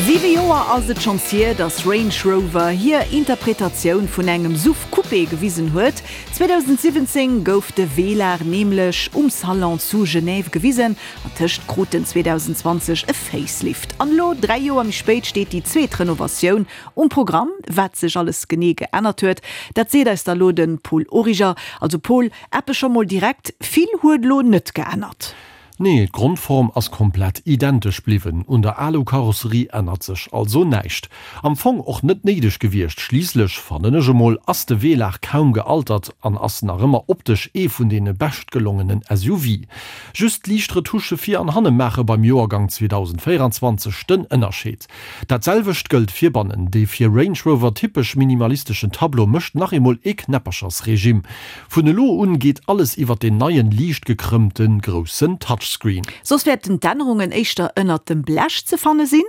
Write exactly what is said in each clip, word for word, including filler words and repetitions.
Siwe Joer ass et schonns hier, dass Range Rover hir Interpretatioun vun engem S U V Coupé gewisen huet. zweedausendsiwwenzéng gouf de Velar nämlech um Salon zu Genève gewisen an tëscht krut en zweedausendzwanzeg e Facelift. An elo, dräi Joer méi spéit, steet déi zweet Renovatioun um Programm. Wat sech alles genee geännert huet, dat seet eis da lo de Paul Origer. Also Paul, eppes scho mol direkt, vill huet elo net geännert. Nee, d'Grondform ass komplett identesch bliwwen, un der Alu-Karosserie ännert sech also näischt. Am Fong och net néideg gewiescht, schliisslech, fannen ech emol, ass de Velar kaum gealtert an ass nach ëmmer optesch ee vun deene beschtgelongenen S U V. Just liicht Retusche vir an hanne maache beim Joergang zweedausendvéierenzwanzeg den Ënnerscheed. Dat selwecht gëllt fir bannen, dee fir Range Rover typesch minimalisteschen Tableau mécht nach eemol ee Knäpperchersregime. Vun elo un geet alles iwwert deen neien, liicht gekrëmmte groussen Touchscreen. Soss wäerten d'Ännerungen éischter ënnert dem Blech ze fanne sinn?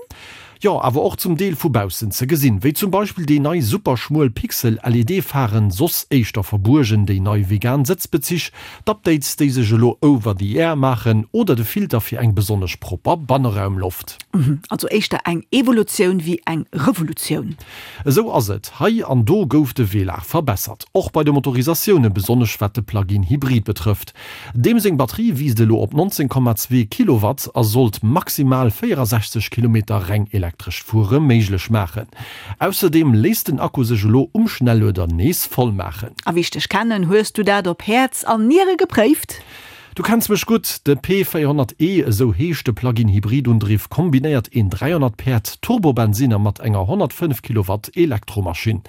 Jo, awer och zum Deel vu baussen ze gesinn, wéi zum Beispill déi nei super schmuel Pixel-L E D-Pharen, soss éischter verbuergen, déi nei vegan Sëtzbezich, d'Updates, déi sech elo over the air maachen, oder de Filter fir eng besonnesch propper Banneraumloft. Also éischter eng Evolutioun wéi eng Revolutioun. Esou ass et. Hei an do gouf de Velar verbessert. Och bei de Motorisatioune, besonnesch wat de Plug-in Hybrid betrëfft. Deem seng Batterie wiisst elo op nonzéng Komma zwee Kilowatt a sollt maximal véierasechzeg Kilometer reng elektrescht Fuere méiglech maachen. Ausserdeem léisst den Akku sech elo um Schnellueder nees voll maachen. A wéi ech dech kennen, hues du dat op Häerz an Niere gepréift? Du kenns mech gutt, de P véierhonnert E, esou heescht de Plug-in-Hybrid-Undriff, kombinéiert een dräihonnert Päerd Turbobensinner mat enger honnertfënnef Kilowatt Elektromaschinn.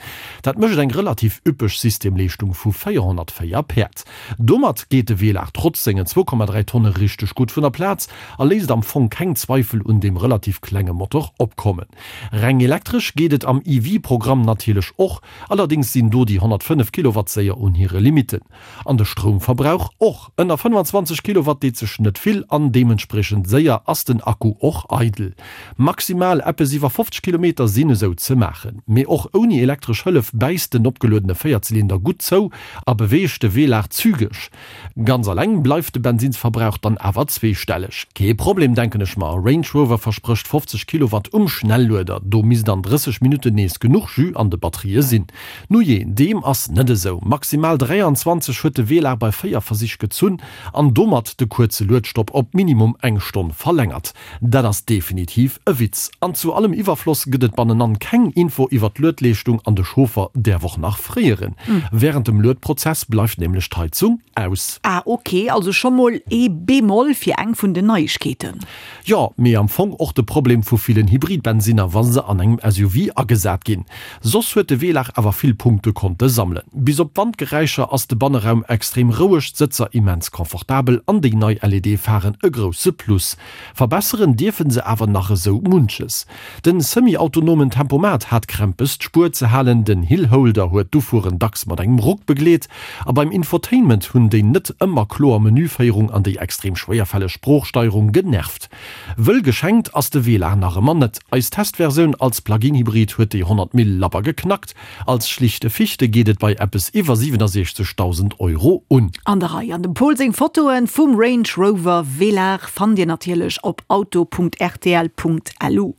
Dat mécht eng relativ üppeg Systemleeschtung vu véierhonnertvéier Päerd. Domat geet de Velar trotz sengen zwou Komma dräi Tonne richteg gutt vun der Plaz a léisst am Fong keng Zweifel un deem relativ klenge Motor opkommen. Reng elektresch geet et am E V-Programm natierlech och, allerdéngs sinn do déi honnertfënnef Kilowatt séier un hire Limitten. An de Stroumverbrauch och, ënner fënnefanzwanzeg Kilowatt deet sech net vill an deementspriechend séier ass den Akku och eidel. Maximal eppes iwwer fofzeg Kilometer sinn esou ze maachen. Mee och ouni elektresch Hëllef bäisst den opgeluedene Véierzylinder gutt zou a beweegt de Velar zügeg. Ganz alleng bleift de Bensinsverbrauch dann awer zweestelleg. Kee Problem, denken ech mer, Range Rover versprécht fofzeg Kilowatt um Schnellueder, do misst an drësseg Minutten nees genuch Jus an de Batterië sinn. Nujee, deem ass net esou. Maximal dräianzwanzeg huet de Velar bei véier Versich gezunn an domat de kuerze Luedstopp op minimum eng Stonn verlängert. Dat ass definitiv e Witz. An zu allem Iwwerfloss gëtt et bannenan keng Info iwwer d'Luedleeschtung an de Chauffer däerf och nach fréieren. Wärend dem Luedprozess bleift nämlech d'Heizung aus. Ah ok, also scho mol ee Bémol fir eng vun den Neiegkeeten. Jo, mee am Fong och de Problem vu villen Hybridbensinner, wa se an engem S U V agesat ginn. Soss huet de Velar awer vill Punkte konnte sammelen. Bis op d'Wandgeräischer ass de Banneraum extrem roueg, d'Sëtzer immens confortabel an déi nei L E D-Pharen e grousse Plus. Verbesseren dierfe se awer nach esou munches. Den semi-autonomen Tempomat hat Krämpes d'Spuer ze halen, den Hillholder huet d'Ufueren dacks mat engem Ruck begleet a beim Infotainment hunn déi net ëmmer kloer Menüféierung an déi extrem schwéierfälleg Sproochsteierung genervt. Wëll geschenkt ass de Velar nach ëmmer net. Eis Testversioun als Plug-in-Hybrid huet déi honnert Mille labber geknackt, als schlichte Fichte geet et bei eppes iwwer siwenesechzegdausend Euro un. An der Rei. An dem Paul seng Fotoe vum Range Rover Velar fannt dir natierlech op auto Punkt R T L Punkt L U.